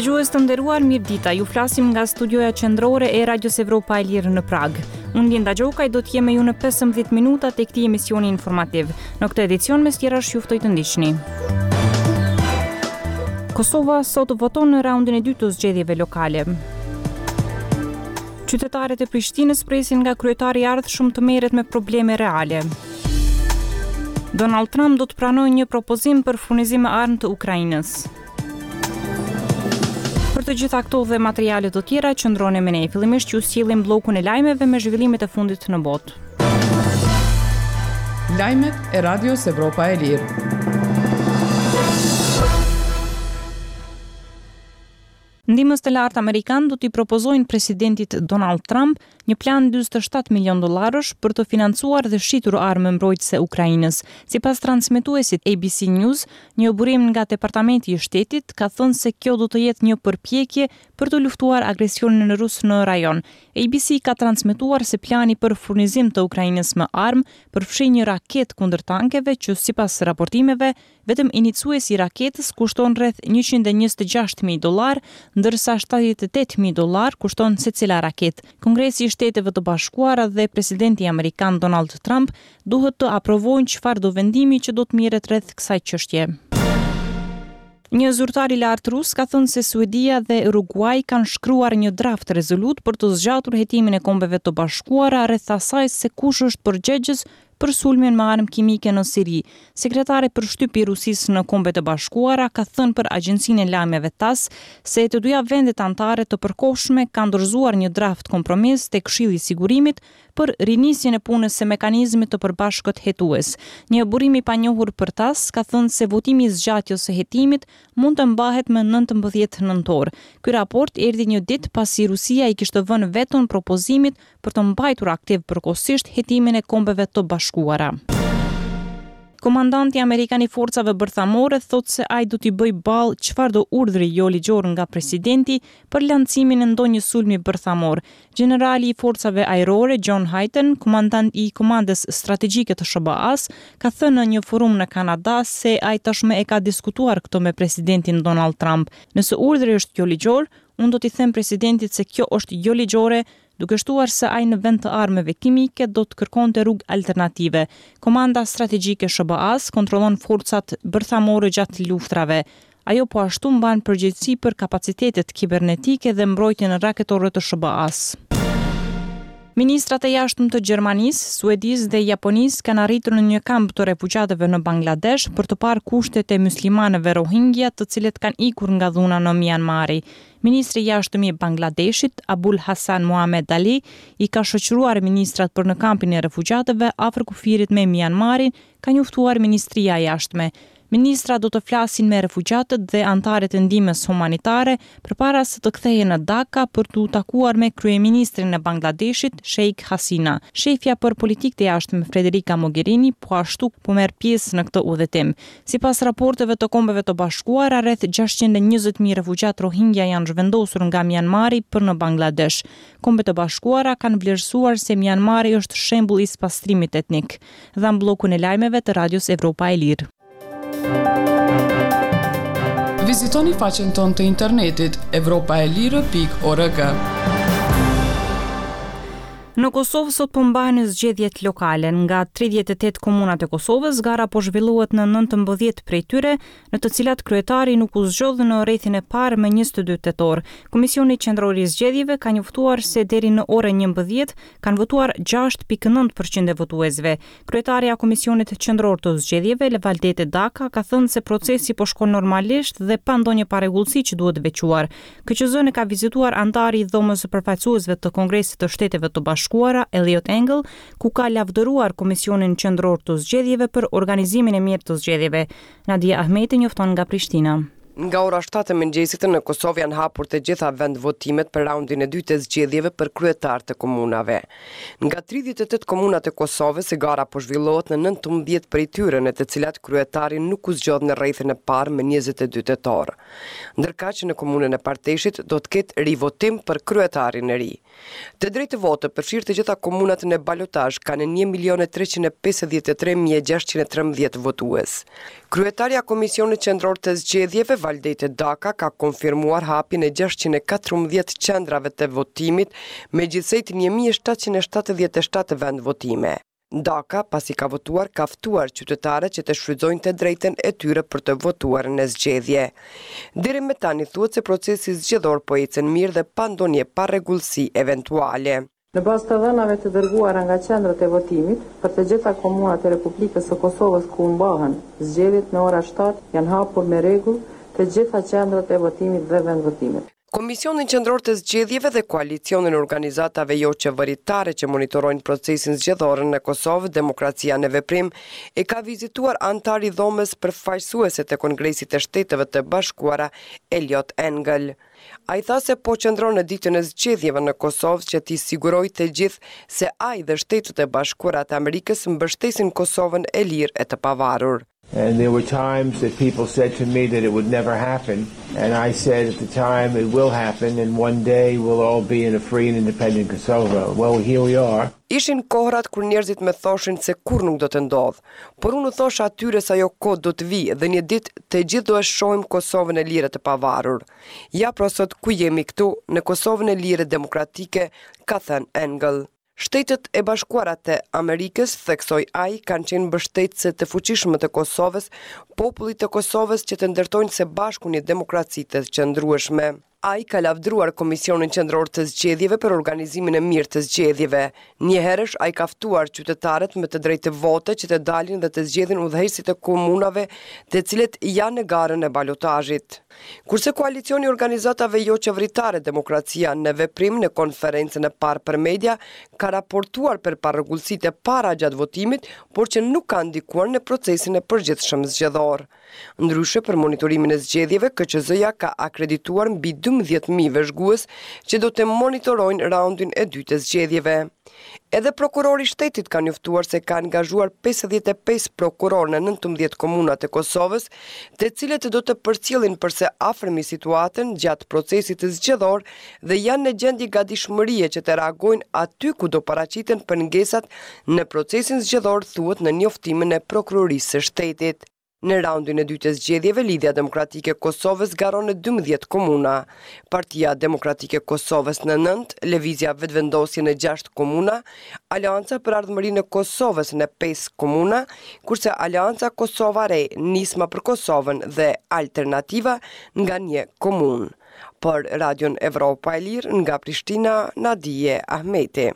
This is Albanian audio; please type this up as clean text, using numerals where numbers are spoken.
Dëgjues të nderuar, mirëdita. Ju flasim nga studioja qendrore e Radios Evropa e Lirë në Pragë. Unë Linda Gjokaj do të jem me ju në 15 minuta të këtij emisioni informativ. Në këtë edicion mes tjerash ju ftoj të ndiqni. Kosova sot voton në raundin e dytë të zgjedhjeve lokale. Qytetarët e Prishtinës presin nga kryetari i ardhshëm të merret me probleme reale. Donald Trump do të pranojë një propozim për furnizim me armë të Ukrainës. Për të gjitha këto dhe materiale të tjera qëndroni me ne. Fillimisht ju sjellim bllokun e lajmeve me zhvillimet e fundit në botë. Lajmet e Radios Evropa e Lirë. Ndihmës të lartë amerikanë do t'i propozojnë presidentit Donald Trump një plan 47 milionë dollarësh për të financuar dhe shitur armë mbrojtëse Ukrainës. Sipas transmetuesit ABC News, një burim nga Departamenti i Shtetit ka thënë se kjo do të jetë një përpjekje për të luftuar agresionin rus në rajon. ABC ka transmetuar se plani për furnizim të Ukrainës me armë përfshin një raketë kundër tankeve që sipas raportimeve Vetëm iniciuesi i raketës kushton rreth 126.000 dollarë, ndërsa 78.000 dollarë kushton secila raketë. Kongresi i Shteteve të Bashkuara dhe presidenti amerikan Donald Trump duhet të aprovojnë çfarëdo vendimi që do të merret rreth kësaj çështje. Një zyrtar i lartë rus ka thënë se Suedia dhe Uruguai kanë shkruar një draft rezolutë për të zgjatur hetimin e Kombeve të Bashkuara rreth asaj se kush është përgjegjës për sulmin me armë kimike në Siri. Sekretari për shtyp i Rusisë në Kombet e Bashkuara ka thënë për agjencinë e lajmeve TASS se të dyja vendet anëtare të përkohshme kanë dorëzuar një draft kompromis te Këshilli i Sigurimit për rinisjen e punës së mekanizmit të përbashkët hetues. Një burim i panjohur për TASS ka thënë se votimi i zgjatjes së hetimit mund të mbahet më 19 nëntor. Ky raport erdhi një ditë pasi Rusia i kishte vënë veton propozimit për të mbajtur aktiv përkohësisht hetimin e Kombeve të Bashkuara. Komandanti amerikan i forcave bërthamore thotë se ai do t'i bëjë ballë çfarëdo urdhri joligjor nga presidenti për lançimin e ndonjë sulmi bërthamor. Gjenerali i forcave ajrore John Hyten, komandant i Komandës Strategjike të SHBA-së, ka thënë në një forum në Kanada se ai tashmë e ka diskutuar këtë me presidentin Donald Trump. Nëse urdhri është joligjor, unë do t'i them presidentit se kjo është joligjore, duke shtuar se ai në vend të armëve kimike do të kërkonte rrugë alternative. Komanda Strategjike e SHBA-së kontrollon forcat bërthamore gjatë luftrave. Ajo po ashtu mban përgjegjësi për kapacitetet kibernetike dhe mbrojtjen raketore të SHBA-së. Ministrat e jashtëm të Gjermanisë, Suedisë dhe Japonisë kanë arritur në një kamp të refugjatëve në Bangladesh për të parë kushtet e myslimanëve Rohingya të cilët kanë ikur nga dhuna në Mianmari. Ministri i Jashtëm i Bangladeshit, Abul Hassan Mohamed Ali, i ka shoqëruar ministrat për në kampin e refugjatëve afër kufirit me Mianmarin, ka njoftuar Ministria e Jashtme. Ministrat do të flasin me refugjatët dhe anëtarët e ndihmës humanitare përpara se të kthehen në Dhaka për t'u takuar me kryeministrin e Bangladeshit, Sheikh Hasina. Shefja për politikë të jashtme Federica Mogherini po ashtu po merr pjesë në këtë udhëtim. Sipas raporteve të Kombeve të Bashkuara, rreth 620.000 refugjatë Rohingya janë zhvendosur nga Mianmari për në Bangladesh. Kombet e Bashkuara kanë vlerësuar se Mianmari është shembull i spastrimit etnik. Dhamë bllokun e lajmeve të Radios Evropa e Lirë. Vizitoni faqen tonë të internetit evropaelire.org. Në Kosovë sot po mbahen zgjedhjet lokale. Nga 38 komunat e Kosovës, gara po zhvillohet në 19 prej tyre, në të cilat kryetari nuk u zgjodh në rrethin e parë më 22 tetor. Komisioni Qendror i Zgjedhjeve ka njoftuar se deri në orën 11 kanë votuar 6.9% e votuesve. Kryetarja e Komisionit Qendror të Zgjedhjeve, Valdete Daka, ka thënë se procesi po shkon normalisht dhe pa ndonjë parregullsi që duhet veçuar. KQZ-në e ka vizituar anëtari i Dhomës së Përfaqësuesve të Kongresit të Shteteve të Bashkuara, Eliot Engel, ku ka lavdëruar Komisionin Qendror të Zgjedhjeve për organizimin e mirë të zgjedhjeve. Nadia Ahmeti njofton nga Prishtina. Nga ora 7 e mëngjesit në Kosovë janë hapur të gjitha vendvotimet për raundin e dytë të zgjedhjeve për kryetar të komunave. Nga 38 komunat e Kosovës, gara po zhvillohet në 19 prej tyre, në të cilat kryetari nuk u zgjodh në rrethin e parë më 22 tetor. Ndërkaq në komunën e Parteshit do të ketë rivotim për kryetarin e ri. Të drejtë vote, përfshirë të gjitha komunat në balotazh, kanë 1.353.613 votues. Kryetarja e Komisionit Qendror të Zgjedhjeve, Valdete Daka ka konfirmuar hapjen e 614 qendrave të votimit me gjithsejt 1777 vendvotime. Daka, pasi ka votuar, ka ftuar qytetarët që të shfrytëzojnë të drejtën e tyre për të votuar në zgjedhje. Deri më tani thuhet se procesi zgjedhor po ecën mirë dhe pa ndonjë parregullsi eventuale. Në bazë të dhënave të dërguara nga qendrat e votimit, për të gjitha komunat e Republikës së Kosovës ku mbahen zgjedhjet në ora shtatë janë hapur me rregull të gjitha qendrat e votimit dhe vendvotimet. Komisionin Qendror të Zgjedhjeve dhe Koalicionin e Organizatave Joqeveritare që monitorojnë procesin zgjedhor në Kosovë, Demokracia në Veprim, e ka vizituar anëtari i Dhomës Përfaqësuese të Kongresit të Shteteve të Bashkuara, Eliot Engel. Ai tha se po qëndron në ditën e zgjedhjeve në Kosovë që t'i sigurojë të gjithë se ai dhe Shtetet e Bashkuara të Amerikës mbështesin Kosovën e lirë e të pavarur. And there were times that people said to me that it would never happen, and I said at the time it will happen and one day we'll all be in a free and independent Kosovo. Well, here we are. Ishin kohërat kur njerëzit më thoshin se kurrë nuk do të ndodhë. Por unë u thosha atyre se ajo kohë do të vijë dhe një ditë të gjithë do e shohim Kosovën e lirë e të pavarur. Ja pra sot ku jemi këtu, në Kosovën e lirë e demokratike, ka thënë Engel. Shtetet e Bashkuara të Amerikës, theksoi ai, kanë qenë mbështetëse të fuqishme të Kosovës, popullit të Kosovës që të ndërtojnë së bashku një demokraci të qëndrueshme. Ai ka lavdëruar Komisionin Qendror të Zgjedhjeve për organizimin e mirë të zgjedhjeve. Njëherësh, ai ka ftuar qytetarët me të drejtë vote që të dalin dhe të zgjedhin udhëheqësit e komunave të cilët janë në garën e balotazhit. Kurse Koalicioni i Organizatave Joqeveritare Demokracia në Veprim në konferencën e parë për media ka raportuar për parregullsitë e para gjatë votimit, por që nuk kanë ndikuar në procesin e përgjithshëm zgjedhor. Ndryshe, për monitorimin e zgjedhjeve, KQZ-ja ka akredituar mbi 12.000 vëzhgues që do të monitorojnë raundin e dytë të zgjedhjeve. Edhe prokurori i shtetit ka njoftuar se ka angazhuar 55 prokurorë në 19 komuna të Kosovës, të cilët do të përcjellin për së afërmi situatën gjatë procesit zgjedhor dhe janë në gjendje gatishmërie që të reagojnë aty ku do paraqiten pengesat në procesin zgjedhor, thuhet në njoftimin e Prokurorisë së Shtetit. Në raundin e dytë të zgjedhjeve, Lidhja Demokratike e Kosovës garon në 12 komuna, Partia Demokratike e Kosovës në 9, Lëvizja Vetëvendosje në 6 komuna, Aleanca për Ardhmërinë e Kosovës në 5 komuna, kurse Aleanca Kosova Re, Nisma për Kosovën dhe Alternativa nga një komunë. Për Radion Evropa e Lirë nga Prishtina, Nadije Ahmeti.